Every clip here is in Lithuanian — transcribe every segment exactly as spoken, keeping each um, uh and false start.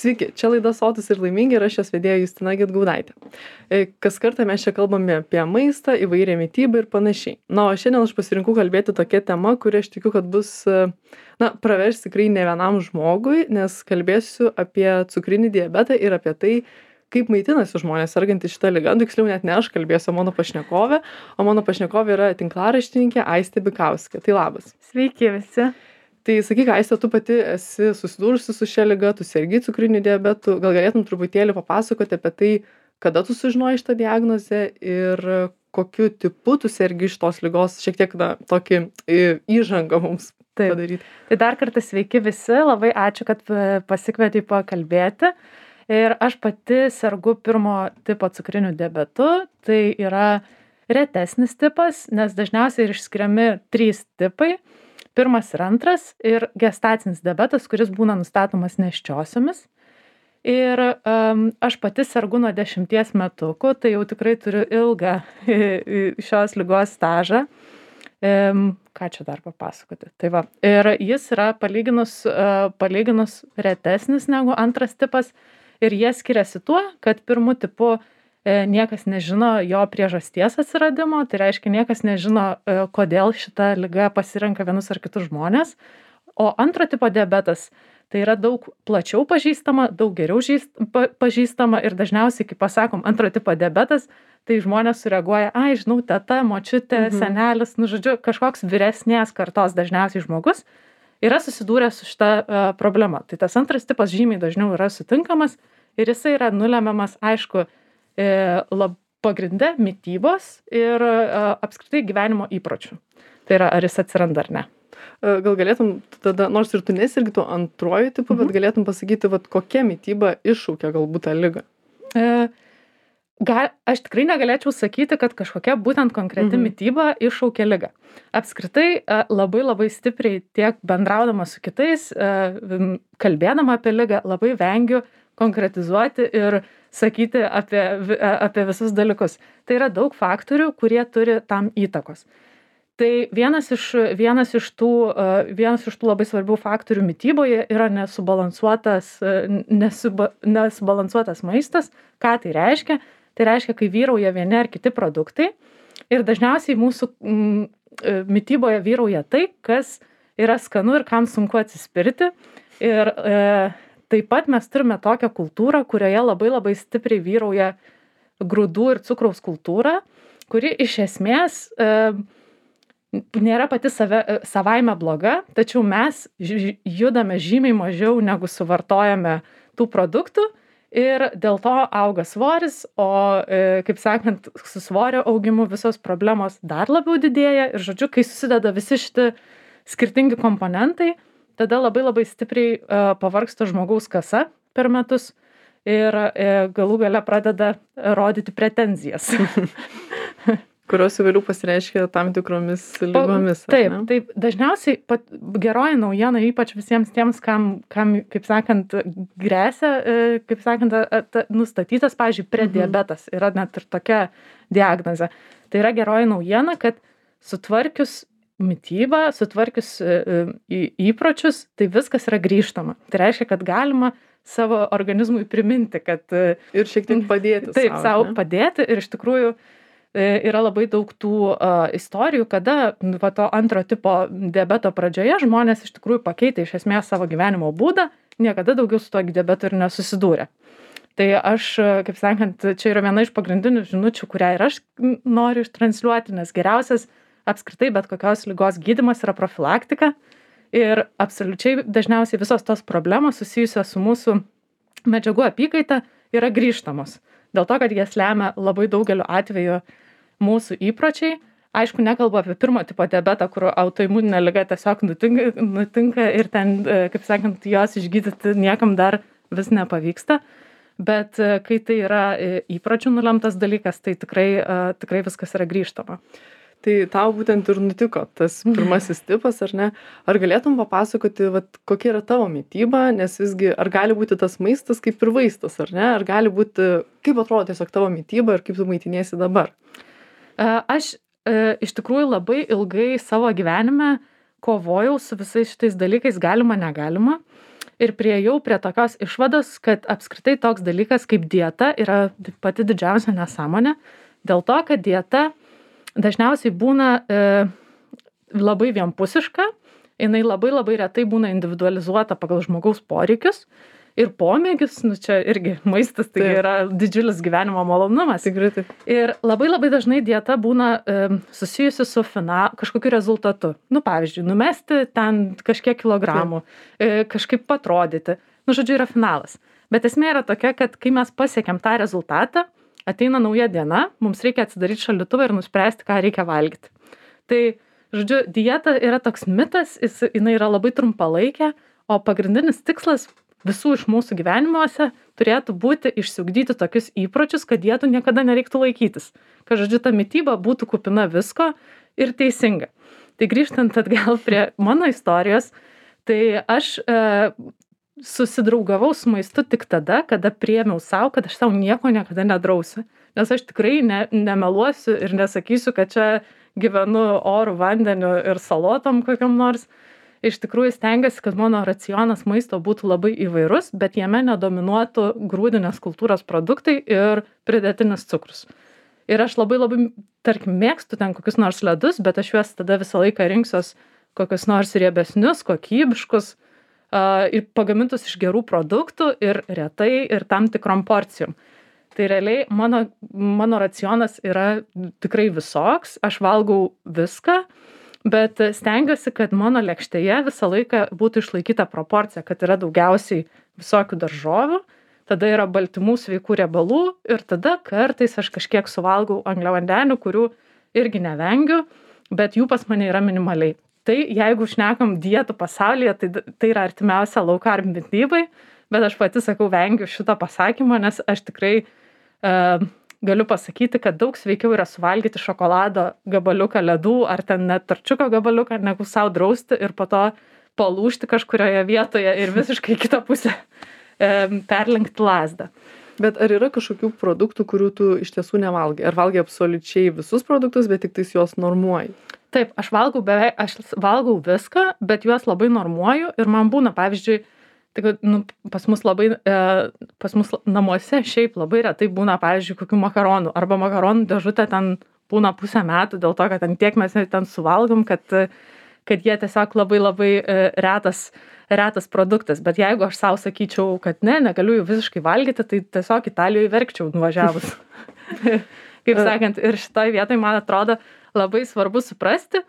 Sveiki, čia laida Sotūs ir laimingi ir aš jos vedėja Justina Gedgaudaitė. Kas kartą mes čia kalbame apie maistą, įvairią mitybą ir panašiai. Na, o šiandien aš pasirinkau kalbėti tokia tema, kuri aš tikiu, kad bus, na, pravers tikrai ne vienam žmogui, nes kalbėsiu apie cukrinį diabetą ir apie tai, kaip maitinasi žmonės sergantys šitą ligą. Tiksliau net ne aš kalbėsiu, o mano pašnekovė, o mano pašnekovė yra tinklaraštininkė Aistė Bikauskė. Tai labas. Sveiki visi. Tai sakyk, Aistė, tu pati esi susidūrusi su šia liga, tu sergi cukriniu diabetu, gal galėtum truputėlį papasakoti apie tai, kada tu sužinojai šitą diagnozę ir kokiu tipu tu sergi iš tos ligos, šiek tiek na, tokį įžangą mums Taip. padaryti. Tai dar kartą sveiki visi, labai ačiū, kad pasikvietei pakalbėti. Ir aš pati sergu pirmo tipo cukriniu diabetu, tai yra retesnis tipas, nes dažniausiai ir išskiriami trys tipai. Pirmas ir antras ir gestacinis diabetas, kuris būna nustatomas nėščiosiomis. Ir um, aš pati sergu nuo dešimties metukų, tai jau tikrai turiu ilgą šios ligos stažą. Um, ką čia dar papasakoti? Tai va. Ir jis yra palyginus, uh, palyginus retesnis negu antras tipas ir jie skiriasi tuo, kad pirmu tipu niekas nežino jo priežasties atsiradimo, tai reiškia niekas nežino, kodėl šita liga pasirenka vienus ar kitus žmonės. O antro tipo diabetas tai yra daug plačiau pažįstama, daug geriau žįst, pa, pažįstama ir dažniausiai, kai pasakom antro tipo diabetas, tai žmonės sureaguoja, ai, žinau, teta, močiutė, mhm. senelis, nu žodžiu, kažkoks vyresnės kartos dažniausiai žmogus yra susidūręs su šita uh, problema. Tai tas antras tipas žymiai dažniau yra sutinkamas ir jisai yra nulemiamas, aišku, lab pagrinde mitybos ir apskritai gyvenimo įpročių. Tai yra, ar jis atsiranda ar ne. Gal galėtum tada, nors ir tu nesergi tuo antruoju tipu, mhm. bet galėtum pasakyti, vat, kokia mityba iššaukia galbūt tą ligą? Gal, aš tikrai negalėčiau sakyti, kad kažkokia būtent konkreti mhm. mityba iššaukia ligą. Apskritai labai labai stipriai tiek bendraudama su kitais, kalbėdama apie ligą, labai vengiu konkretizuoti ir sakyti apie, apie visus dalykus. Tai yra daug faktorių, kurie turi tam įtakos. Tai vienas iš, vienas iš, tų, vienas iš tų labai svarbių faktorių mityboje yra nesubalansuotas, nesuba, nesubalansuotas maistas. Ką tai reiškia? Tai reiškia, kai vyrauja vieni ar kiti produktai ir dažniausiai mūsų mm, mityboje vyrauja tai, kas yra skanu ir kam sunku atsispirti. Ir e, taip pat mes turime tokią kultūrą, kurioje labai labai stipriai vyrauja grūdų ir cukraus kultūra, kuri iš esmės e, nėra pati save, savaime bloga, tačiau mes ž, judame žymiai mažiau negu suvartojame tų produktų ir dėl to auga svoris, o, e, kaip sakant, su svorio augimu visos problemos dar labiau didėja ir, žodžiu, kai susideda visi šitie skirtingi komponentai, tada labai labai stipriai uh, pavargsta žmogaus kasa per metus ir uh, galų gale pradeda rodyti pretenzijas. Kurios vėliau pasireiškia tam tikromis lygomis. Taip, taip, dažniausiai pat, geroji naujiena, ypač visiems tiems, kam, kam kaip sakant, grėsia, kaip sakant, at, nustatytas, pavyzdžiui, prediabetas, yra net ir tokia diagnozė. Tai yra geroji naujiena, kad sutvarkius mitybą, sutvarkius įpročius, tai viskas yra grįžtama. Tai reiškia, kad galima savo organizmui priminti, kad... Ir šiek tiek padėti. Taip, savo, savo ne? padėti ir iš tikrųjų yra labai daug tų uh, istorijų, kada va, to antro tipo diabeto pradžioje žmonės iš tikrųjų pakeitė iš esmės savo gyvenimo būdą, niekada daugiau su to diabetu ir nesusidūrė. Tai aš, kaip sakant, čia yra viena iš pagrindinių žinučių, kurią ir aš noriu ištransliuoti, nes geriausias apskritai bet kokios ligos gydymas yra profilaktika ir absoliučiai dažniausiai visos tos problemos susijusios su mūsų medžiagų apykaita yra grįžtamos. Dėl to, kad jas lemia labai daugeliu atveju mūsų įpročiai. Aišku, nekalbu apie pirmo tipo diabetą, kur autoimuninė liga tiesiog nutinka, nutinka ir ten, kaip sakant, jos išgydyti niekam dar vis nepavyksta. Bet kai tai yra įpročių nulemtas dalykas, tai tikrai, tikrai viskas yra grįžtama. Tai tau būtent ir nutiko tas pirmasis tipas, ar ne? Ar galėtum papasakoti, vat, kokia yra tavo mityba, nes visgi, ar gali būti tas maistas kaip ir vaistas, ar ne? Ar gali būti, kaip atrodo tiesiog tavo mityba ir kaip tu maitiniesi dabar? Aš iš tikrųjų labai ilgai savo gyvenime kovojau su visais šitais dalykais, galima, negalima. ir priėjau prie tokios išvados, kad apskritai toks dalykas kaip dieta yra pati didžiausia nesąmonė, dėl to, kad dieta dažniausiai būna e, labai vienpusiška, jinai labai labai retai būna individualizuota pagal žmogaus poreikius ir pomėgius, nu čia irgi maistas, tai Taip. yra didžiulis gyvenimo malonumas. Tikrai taip. Ir labai labai dažnai dieta būna e, susijusi su fina, kažkokiu rezultatu. Nu, pavyzdžiui, numesti ten kažkiek kilogramų, e, kažkaip patrodyti. Nu, žodžiu, yra finalas. Bet esmė yra tokia, kad kai mes pasiekėm tą rezultatą, ateina nauja diena, mums reikia atsidaryti šaldytuvą ir nuspręsti, ką reikia valgyti. Tai, žodžiu, dieta yra toks mitas, jis, jinai yra labai trumpalaikė, o pagrindinis tikslas visų iš mūsų gyvenimuose turėtų būti išsiugdyti tokius įpročius, kad dietų niekada nereiktų laikytis. Kad, žodžiu, ta mityba būtų kupina visko ir teisinga. Tai grįžtant atgal prie mano istorijos, tai aš e, susidraugavau su maistu tik tada, kada priėmiau savo, kad aš savo nieko niekada nedrausiu. Nes aš tikrai ne, nemeluosiu ir nesakysiu, kad čia gyvenu orų, vandeniu ir salotom kokiam nors. Iš tikrųjų stengiuosi, kad mano racionas maisto būtų labai įvairus, bet jame nedominuotų grūdinės kultūros produktai ir pridėtinis cukrus. Ir aš labai labai, tarkim, mėgstu ten kokius nors ledus, bet aš juos tada visą laiką rinksiuos kokius nors riebesnius, kokybiškus uh, ir pagamintus iš gerų produktų ir retai ir tam tikrom porcijom. Tai realiai mano, mano racionas yra tikrai visoks, aš valgau viską, bet stengiuosi, kad mano lėkštėje visą laiką būtų išlaikyta proporcija, kad yra daugiausiai visokių daržovių, tada yra baltymų, sveikų riebalų ir tada kartais aš kažkiek suvalgau angliavandenių, kurių irgi nevengiu, bet jų pas mane yra minimaliai. Tai jeigu šnekam dietų pasaulyje, tai, tai yra artimiausia low carb mitybai, bet aš pati sakau, vengiu šito pasakymo, nes aš tikrai uh, galiu pasakyti, kad daug sveikiau yra suvalgyti šokolado gabaliuką ledų ar ten net tarčiuko gabaliuką, negu sau drausti ir po to palūžti kažkurioje vietoje ir visiškai kitą pusę e, perlenkti lazdą. Bet ar yra kažkokių produktų, kurių tu iš tiesų nevalgai? Ar valgai absoliučiai visus produktus, bet tik tais juos normuoji? Taip, aš valgau beveik, aš valgau viską, bet juos labai normuoju ir man būna, pavyzdžiui, tai, nu, pas mus labai, e, pas mus namuose šiaip labai retai būna, pavyzdžiui, kokių makaronų, arba makaronų dėžutė ten būna pusę metų, dėl to, kad ten tiek mes ten suvalgom, kad, kad jie tiesiog labai labai e, retas, retas produktas. Bet jeigu aš savo sakyčiau, kad ne, negaliu jų visiškai valgyti, tai tiesiog Italijoje verkčiau nuvažiavus. Kaip sakant, ir šitoj vietoj, man atrodo, labai svarbu suprasti,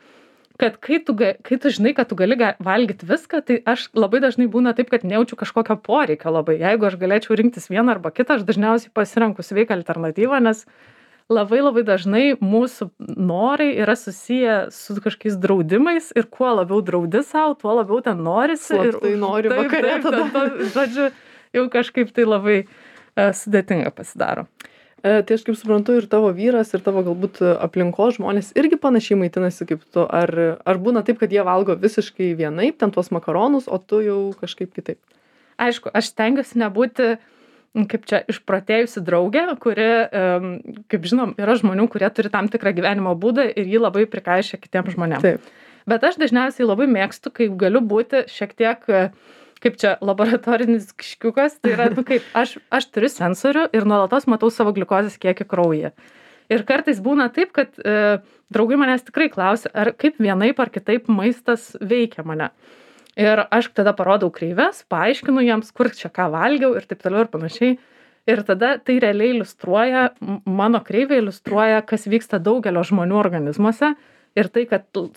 kad kai tu, kai tu žinai, kad tu gali valgyti viską, tai aš labai dažnai būna taip, kad nejaučiu kažkokio poreikio labai. Jeigu aš galėčiau rinktis vieną arba kitą, aš dažniausiai pasirenku sveiką alternatyvą, nes labai labai dažnai mūsų norai yra susiję su kažkokiais draudimais ir kuo labiau draudi savo, tuo labiau ten norisi. Slaptai ir nori taip, vakare taip, tada. tada. Žodžiu, jau kažkaip tai labai uh, sudėtinga pasidaro. E, tai aš kaip suprantu, ir tavo vyras, ir tavo galbūt aplinkos žmonės irgi panašiai maitinasi kaip tu. Ar, ar būna taip, kad jie valgo visiškai vienaip, ten tuos makaronus, o tu jau kažkaip kitaip? Aišku, aš stengiuosi nebūti, kaip čia, išprotėjusi draugė, kuri, kaip žinom, yra žmonių, kurie turi tam tikrą gyvenimo būdą ir jį labai prikaišia kitiems žmonėms. Taip. Bet aš dažniausiai labai mėgstu, kai galiu būti šiek tiek, kaip čia, laboratorinis kiškiukas, tai yra, nu kaip, aš, aš turiu sensorių ir nuolatos matau savo gliukozės kiekį kraujyje. Ir kartais būna taip, kad e, draugai manęs tikrai klausia, ar kaip vienaip ar kitaip maistas veikia mane. Ir aš tada parodau kreives, paaiškinu jiems, kur čia ką valgiau ir taip toliau ir panašiai. Ir tada tai realiai iliustruoja, mano kreivė iliustruoja, kas vyksta daugelio žmonių organizmuose. Ir tai, kad tu,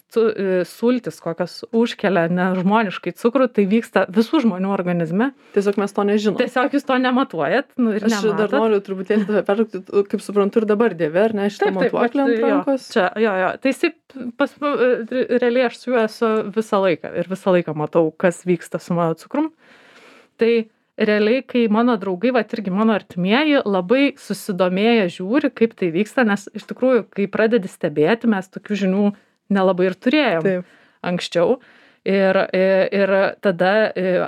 sultis kokios užkelia nežmoniškai cukrų, tai vyksta visų žmonių organizme. Tiesiog mes to nežinom. Tiesiog jūs to nematuojat. Nu, ir aš nematot. Dar noriu truputėlį tave pertraukti, kaip suprantu, ir dabar dėvi, ar ne, šitą matuoklį ant rankos? Jo, čia, jo, jo. Tai jis, pas, realiai aš su juo esu visą laiką ir visą laiką matau, kas vyksta su mano cukrum. Tai realiai, kai mano draugai, va irgi mano artimieji, labai susidomėję žiūri, kaip tai vyksta, nes iš tikrųjų, kai pradedi stebėti, mes tokių žinių nelabai ir turėjom Taip. Anksčiau. Ir, ir tada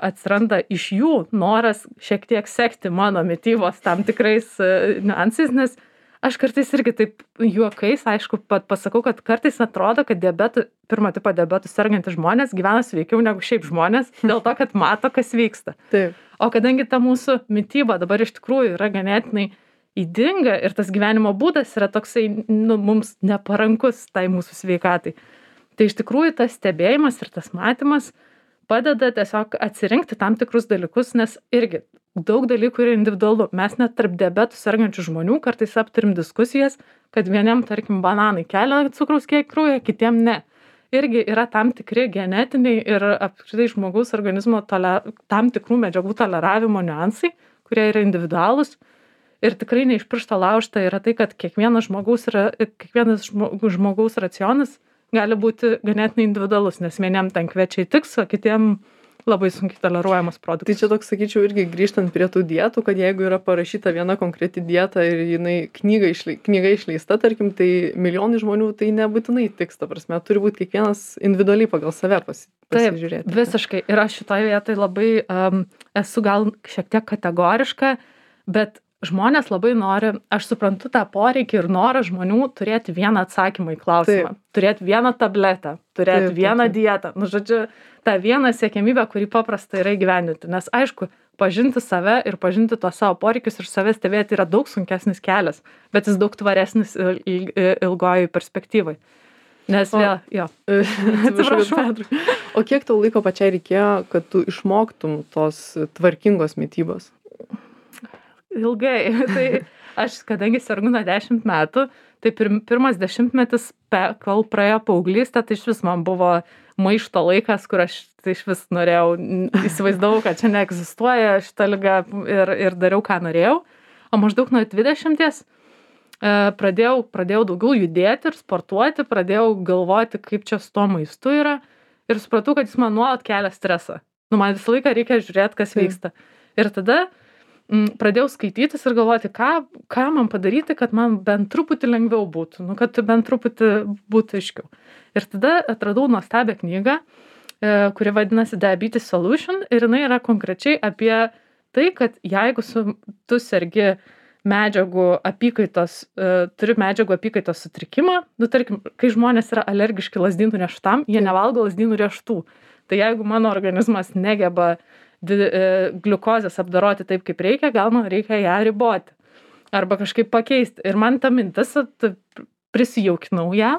atsiranda iš jų noras šiek tiek sekti mano mitybos tam tikrais niuansais, nes Aš kartais irgi taip juokais, aišku, pat pasakau, kad kartais atrodo, kad diabetų, pirmo tipo diabetų sergantys žmonės gyvena sveikiau negu šiaip žmonės, dėl to, kad mato, kas vyksta. Taip. O kadangi ta mūsų mityba dabar iš tikrųjų yra ganėtinai ydinga ir tas gyvenimo būdas yra toksai, nu, mums neparankus tai mūsų sveikatai, tai iš tikrųjų tas stebėjimas ir tas matymas padeda tiesiog atsirinkti tam tikrus dalykus, nes irgi daug dalykų yra individualu. Mes net tarp diabetų sergančių žmonių kartais aptarim diskusijas, kad vieniem, tarkim, bananai kelia cukraus kiekį kraujyje, kitiem ne. Irgi yra tam tikri genetiniai ir apskritai žmogaus organizmo toler... tam tikrų medžiagų toleravimo niuansai, kurie yra individualūs. Ir tikrai ne iš piršto laužta yra tai, kad kiekvienas žmogaus, yra, kiekvienas žmogaus racionas gali būti ganėtinai individualus, nes vieniem ten kviečiai tiks, o kitiem labai sunkiai toleruojamas produktas. Tai čia toks, sakyčiau, irgi grįžtant prie tų dietų, kad jeigu yra parašyta viena konkreti dieta ir jinai knyga, išle, knyga išleista, tarkim, tai milijonai žmonių tai nebūtinai tiks, ta prasme, turi būti kiekvienas individualiai pagal save pasi, pasižiūrėti. Taip, visiškai. Ir aš šitoje vietoje labai um, esu gal šiek tiek kategoriška, bet žmonės labai nori, aš suprantu tą poreikį ir norą žmonių turėti vieną atsakymą į klausimą, taip. Turėti vieną tabletę, turėti taip, vieną taip. Dietą. Nu, žodžiu, tą vieną siekiamybę, kurį paprasta yra įgyvendinti. Nes aišku, pažinti save ir pažinti tuos savo poreikius ir save stebėti yra daug sunkesnis kelias, bet jis daug tvaresnis ilgojoj perspektyvai. Nes o, vėl, jo. Atsiprašau. O kiek tau laiko pačiai reikėjo, kad tu išmoktum tos tvarkingos mitybos? Ilgai. Tai aš, kadangi sergu nuo dešimt metų, tai pir, pirmas dešimtmetis, pe, kol praėjo paauglystė, tai iš vis man buvo maišto laikas, kur aš tai iš vis norėjau, įsivaizdavau, kad čia neegzistuoja šita liga ir, ir dariau, ką norėjau. O maždaug nuo dvidešimties e, pradėjau, pradėjau daugiau judėti ir sportuoti, pradėjau galvoti, kaip čia su to maistu yra ir supratau, kad jis man nuolat kelia stresą. Nu, man visą laiką reikia žiūrėti, kas vyksta. Ir tada pradėjau skaitytis ir galvoti, ką, ką man padaryti, kad man bent truputį lengviau būtų, nu, kad bent truputį būtų aiškiau. Ir tada atradau nuostabią knygą, kuri vadinasi Diabetes Solution ir jinai yra konkrečiai apie tai, kad jeigu su, tu sergi medžiagų apykaitos, turi medžiagų apykaitos sutrikimą, nu, tarkim, kai žmonės yra alergiški lazdynų riešutam, jie nevalgo lazdynų riešutų. Tai jeigu mano organizmas negeba gliukozės apdoroti taip, kaip reikia, gal man reikia ją riboti arba kažkaip pakeisti. Ir man ta mintis, prisijaukinau ją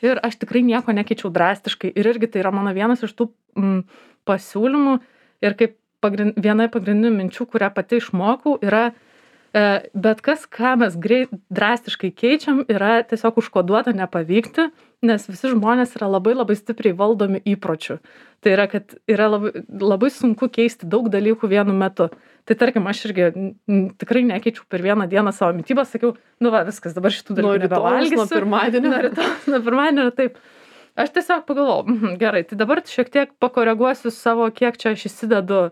ir aš tikrai nieko nekeičiau drastiškai. Ir irgi tai yra mano vienas iš tų mm, pasiūlymų ir kaip pagrind, viena pagrindinių minčių, kurią pati išmokau, yra e, bet kas, ką mes greit, drastiškai keičiam, yra tiesiog užkoduota nepavykti, nes visi žmonės yra labai labai stipriai valdomi įpročių. Tai yra, kad yra labai, labai sunku keisti daug dalykų vienu metu. Tai tarkim, aš irgi n, tikrai nekeičiau per vieną dieną savo mitybą, sakiau, nu va, viskas, dabar šitų dalykų nebevalgysiu. Nuo pirmadienio. Nuo rytojus, nuo pirmadienio, taip. Aš tiesiog pagalvojau, mm, gerai, tai dabar šiek tiek pakoreguosiu savo, kiek čia aš įsidedu,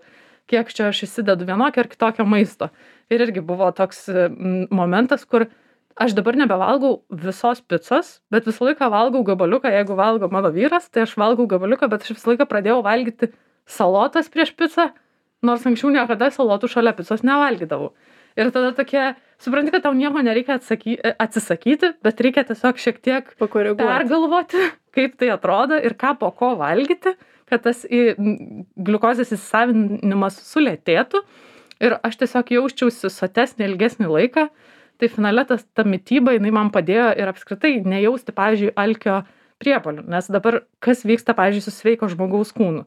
kiek čia aš įsidedu vienokio ar kitokio maisto. Ir irgi buvo toks mm, momentas, kur aš dabar nebevalgau visos picos, bet visą laiką valgau gabaliuką, jeigu valgo mano vyras, tai aš valgau gabaliuką, bet aš visą laiką pradėjau valgyti salotas prieš picą, nors anksčiau niekada salotų šalia picos nevalgydavau. Ir tada tokie, supranti, kad tau nieko nereikia atsaky, atsisakyti, bet reikia tiesiog šiek tiek pergalvoti, kaip tai atrodo ir ką po ko valgyti, kad tas į, gliukozės įsisavinimas sulėtėtų ir aš tiesiog jausčiausi sotesnį ilgesnį laiką. Tai finale tas, ta mityba, jinai man padėjo ir apskritai nejausti, pavyzdžiui, alkio priepuolių. Nes dabar kas vyksta, pavyzdžiui, su sveiko žmogaus kūnu.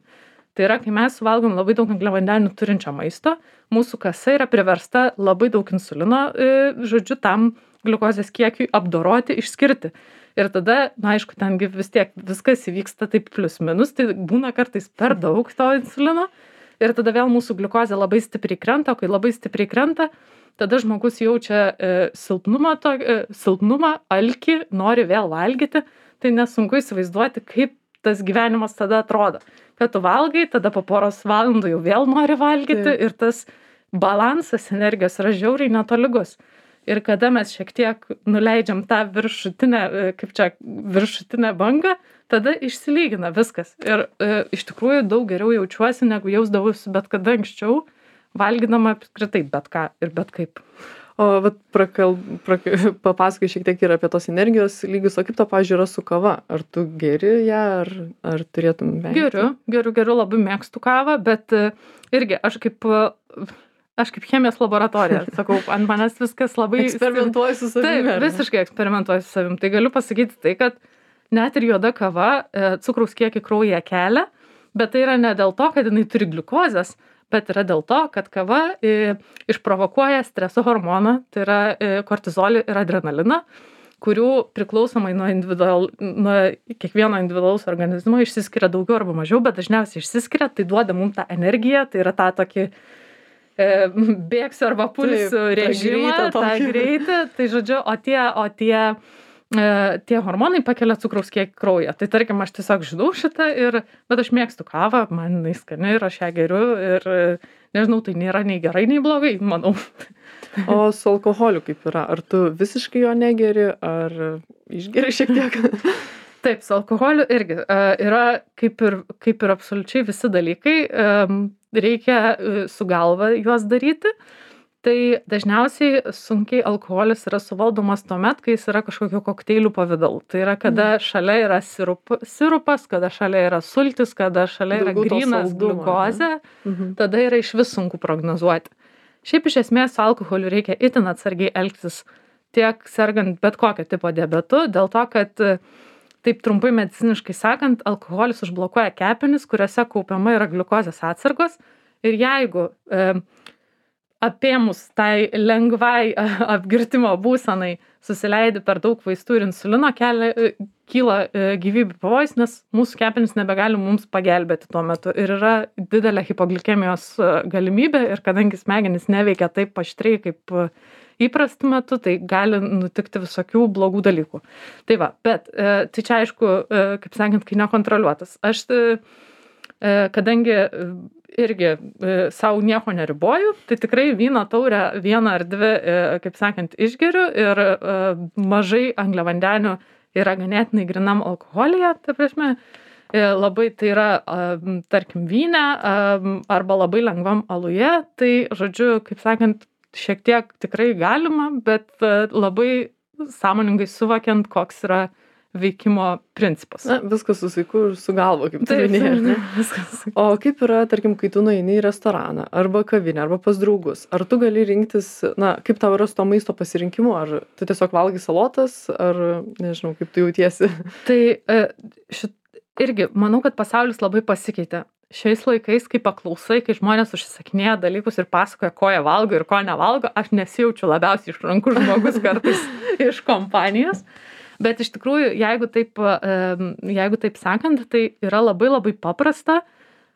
Tai yra, kai mes suvalgom labai daug angliavandenių turinčio maisto, mūsų kasa yra priversta labai daug insulino, žodžiu, tam gliukozės kiekiui apdoroti, išskirti. Ir tada, na aišku, tengi vis tiek viskas įvyksta taip plius minus, tai būna kartais per daug to insulino. Ir tada vėl mūsų gliukozė labai stipriai krenta, o kai labai stipriai krenta, tada žmogus jaučia e, silpnumą, to, e, silpnumą, alkį, nori vėl valgyti, tai nesunku įsivaizduoti, kaip tas gyvenimas tada atrodo. Kad tu valgai, tada po poros valandų jau vėl nori valgyti tai. Ir tas balansas energijos yra žiauriai netolygus. Ir kada mes šiek tiek nuleidžiam tą viršutinę, kaip čia, viršutinę bangą, tada išsilygina viskas. Ir e, iš tikrųjų daug geriau jaučiuosi, negu jausdavausi bet kada anksčiau. valgydama apskritai bet ką ir bet kaip. O vat prakal, prak, papasakai šiek tiek ir apie tos energijos lygius, o kaip to, pavyzdžiui, yra su kava? Ar tu geri ją, ar, ar turėtum vengti? Geriu, geriu, geriu, labai mėgstu kavą, bet e, irgi aš kaip, e, aš kaip chemijos laboratorija, sakau, ant manęs viskas labai... Eksperimentuoji su savimi. Taip, visiškai eksperimentuoju su savimi. Tai galiu pasakyti tai, kad net ir juoda kava e, cukraus kiekį kraujyje kelia, bet tai yra ne dėl to, kad jinai turi gliukozės, bet yra dėl to, kad kava e, išprovokuoja streso hormoną, tai yra e, kortizolį ir adrenaliną, kurių priklausomai nuo, individual, nuo kiekvieno individualaus organizmo išsiskiria daugiau arba mažiau, bet dažniausiai išsiskiria, tai duoda mums tą energiją, tai yra tą tokį e, bėgsiu arba pulsiu režimą, tą greitį, tai žodžiu, o tie, o tie tie hormonai pakelia cukraus kiekį kraujyje. Tai tarkim, aš tiesiog žinau šitą, ir, bet aš mėgstu kavą, man jinai skani ir aš ją geriu ir nežinau, tai nėra nei gerai, nei blogai, manau. O su alkoholiu kaip yra? Ar tu visiškai jo negeri, ar išgeri šiek tiek? Taip, su alkoholiu irgi yra kaip ir, kaip ir absoliučiai visi dalykai, reikia su galva juos daryti. Tai dažniausiai sunkiai alkoholis yra suvaldomas tuomet, kai jis yra kažkokio kokteilių pavidalu. Tai yra, kada šalia yra sirup, sirupas, kada šalia yra sultis, kada šalia yra Daugiau to grynas saldumo, gliukozė, Mhm. tada yra iš vis sunku prognozuoti. Šiaip iš esmės su alkoholiu reikia itin atsargiai elgtis, tiek sergant bet kokio tipo diabetu, dėl to, kad taip trumpai mediciniškai sakant, alkoholis užblokuoja kepenis, kuriuose kaupiama yra gliukozės atsargos, ir jeigu e, apėmus tai lengvai apgirtimo būsenai susileidi per daug vaistų ir insulino, kelia, kyla gyvybių pavojus, nes mūsų kepenys nebegali mums pagelbėti tuo metu. Ir yra didelė hipoglikemijos galimybė, ir kadangi smegenys neveikia taip aštriai kaip įprastų metu, tai gali nutikti visokių blogų dalykų. Tai va, bet tai čia aišku, kaip sakant, kai nekontroliuotas. Aš, kadangi irgi savo nieko neriboju, tai tikrai vyno taurę vieną ar dvi, kaip sakant, išgeriu, ir mažai angliavandenių yra ganėtinai grinam alkoholyje, ta prasme, labai tai yra, tarkim, vyne arba labai lengvam aluje, tai, žodžiu, kaip sakant, šiek tiek tikrai galima, bet labai sąmoningai suvokiant, koks yra veikimo principas. Na, viskas su saiku ir su galva, kaip tu minėjai, ar ne? Viskas. O kaip yra, tarkim, kai tu nueini į restoraną, arba kavinę, arba pas draugus, ar tu gali rinktis, na, kaip tau yra su to maisto pasirinkimu, ar tu tiesiog valgai salotas, ar, nežinau, kaip tu jautiesi? Tai šit, irgi, manau, kad pasaulis labai pasikeitė. Šiais laikais, kai paklausai, kai žmonės užsisakinėja dalykus ir pasakoja, ko jie valgo ir ko nevalgo, aš nesijaučiu labiausiai išrankus žmogus kartais iš kompanijos. Bet iš tikrųjų, jeigu taip, jeigu taip sakant, tai yra labai labai paprasta,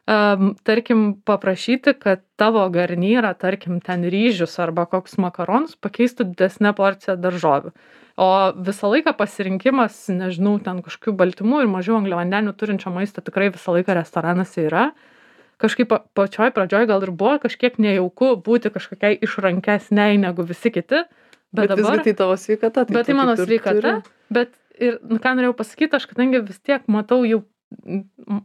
tarkim, paprašyti, kad tavo garnyrą, tarkim, ten ryžius arba koks makaronus pakeistų didesnę porciją daržovių. O visą laiką pasirinkimas, nežinau, ten kažkokių baltymų ir mažiau angliavandenių turinčio maisto tikrai visą laiką restoranuose yra. Kažkaip pačioj pradžioj gal ir buvo kažkiek nejauku būti kažkokiai išrankesniai negu visi kiti. Bet, bet dabar, visgi tai tavo sveikata. Tai bet tai mano sveikata, turi. Bet ir, nu, ką norėjau pasakyti, aš kadangi vis tiek matau jau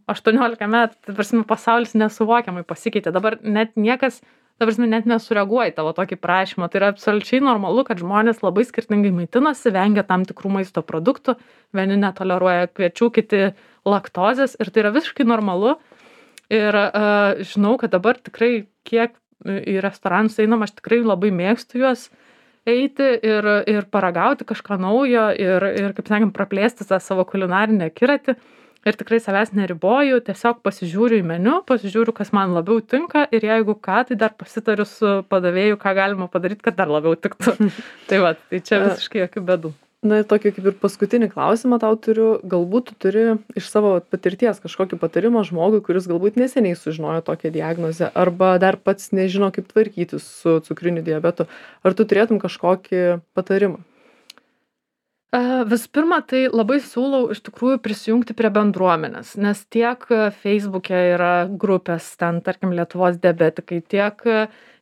aštuoniolika metų, tai prasme, pasaulis nesuvokiamai pasikeitė. Dabar net niekas, ta prasme, net nesureaguoja į tavo tokį prašymą. Tai yra absoliučiai normalu, kad žmonės labai skirtingai maitinasi, vengia tam tikrų maisto produktų, vieni netoleruoja kviečių, kiti laktozės, ir tai yra visiškai normalu. Ir uh, žinau, kad dabar tikrai, kiek į restoranus einam, aš tikrai labai mėgstu juos eiti ir, ir paragauti kažką naujo ir, ir kaip sakėm, praplėsti tą savo kulinarinę akiratį. Ir tikrai savęs neriboju, tiesiog pasižiūriu į meniu, pasižiūriu, kas man labiau tinka, ir jeigu ką, tai dar pasitariu su padavėju, ką galima padaryti, kad dar labiau tiktų. Tai va, tai čia visiškai jokių bėdų. Na, tokį kaip ir paskutinį klausimą tau turiu. Galbūt tu turi iš savo patirties kažkokį patarimą žmogui, kuris galbūt neseniai sužinojo tokią diagnozę, arba dar pats nežino, kaip tvarkytis su cukriniu diabetu. Ar tu turėtum kažkokį patarimą? Visų pirma, tai labai siūlau iš tikrųjų prisijungti prie bendruomenės, nes tiek Facebook'e yra grupės, ten, tarkim, Lietuvos diabetikai, tiek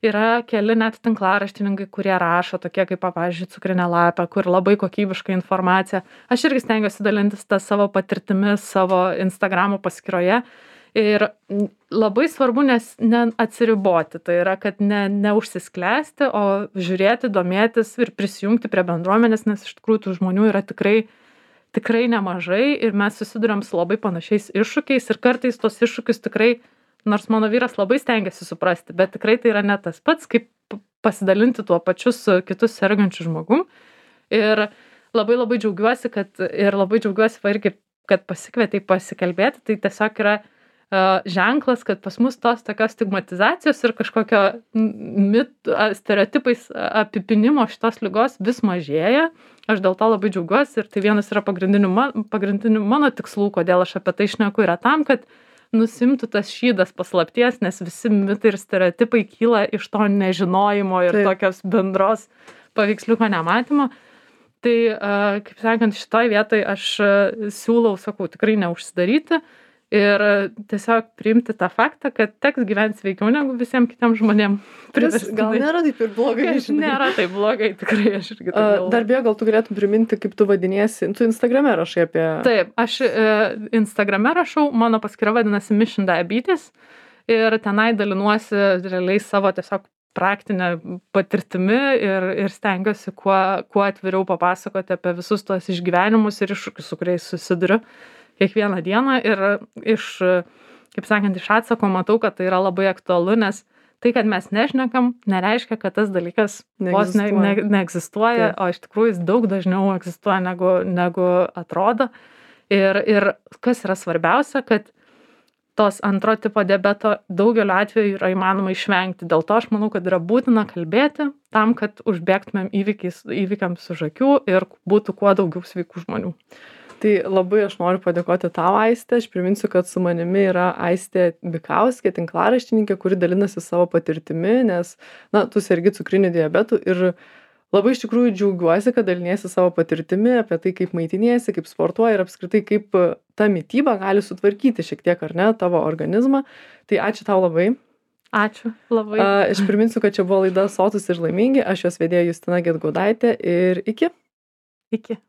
yra keli net tinklaraštininkai, kurie rašo, tokie kaip, pavyzdžiui, Cukrinė lapė, kur labai kokybiška informacija. Aš irgi stengiuosi dalintis tą savo patirtimis savo Instagramo paskyroje. Ir labai svarbu nes neatsiriboti, tai yra, kad ne, neužsisklęsti, o žiūrėti, domėtis ir prisijungti prie bendruomenės, nes iš tikrųjų tų žmonių yra tikrai, tikrai nemažai ir mes susiduriam su labai panašiais iššūkiais ir kartais tos iššūkius tikrai, nors mano vyras labai stengiasi suprasti, bet tikrai tai yra ne tas pats, kaip pasidalinti tuo pačiu su kitus sergančiu žmogum. Ir labai labai džiaugiuosi, kad ir labai džiaugiuosi va irgi, kad pasikvietei pasikalbėti, tai tiesiog yra uh, ženklas, kad pas mus tos tokios stigmatizacijos ir kažkokio mit, stereotipais apipinimo šitos ligos vis mažėja. Aš dėl to labai džiaugiuosi ir tai vienas yra pagrindinių, man, pagrindinių mano tikslų, kodėl aš apie tai šneku, yra tam, kad nusimtų tas šydas paslapties, nes visi mitai ir stereotipai kyla iš to nežinojimo ir Taip. Tokios bendros paveiksliuko nematymo. Tai, kaip sakant, šitoj vietoj aš siūlau, sakau, tikrai neužsidaryti ir tiesiog priimti tą faktą, kad teks gyventi sveikiau negu visiems kitiems žmonėms. Gal nėra taip ir blogai? Nėra taip blogai, tikrai aš irgi taip galvoju. Dar beje, gal tu galėtum priminti, kaip tu vadiniesi, tu Instagrame rašai apie... Taip, aš Instagrame rašau, mano paskyra vadinasi Mission Diabetes ir tenai dalinuosi realiai savo tiesiog praktinę patirtimi ir, ir stengiuosi kuo, kuo atviriau papasakoti apie visus tuos išgyvenimus ir iššūkius, su kuriais susiduriu kiekvieną dieną ir iš, kaip sakant, iš atsako matau, kad tai yra labai aktualu, nes tai, kad mes nešnekam, nereiškia, kad tas dalykas vos ne, ne, neegzistuoja, Taip. O iš tikrųjų jis daug dažniau egzistuoja negu, negu atrodo. Ir, ir kas yra svarbiausia, kad tos antro tipo diabeto daugeliu atveju yra įmanoma išvengti. Dėl to aš manau, kad yra būtina kalbėti tam, kad užbėgtumėm įvykiais, įvykiams už akių ir būtų kuo daugiau sveikų žmonių. Tai labai aš noriu padėkoti tau, Aiste. Aš priminsiu, kad su manimi yra Aistė Bikauskė, tinklaraštininkė, kuri dalinasi savo patirtimi, nes, na, tu sergi cukriniu diabetu ir labai iš tikrųjų džiaugiuosi, kad daliniesi savo patirtimi apie tai, kaip maitiniesi, kaip sportuoji ir apskritai, kaip ta mityba gali sutvarkyti šiek tiek, ar ne, tavo organizmą. Tai ačiū tau labai. Ačiū labai. Aš priminsiu, kad čia buvo laida Sotūs ir laimingi. Aš jos vedėja Justina Gedgaudaitė ir iki. Iki.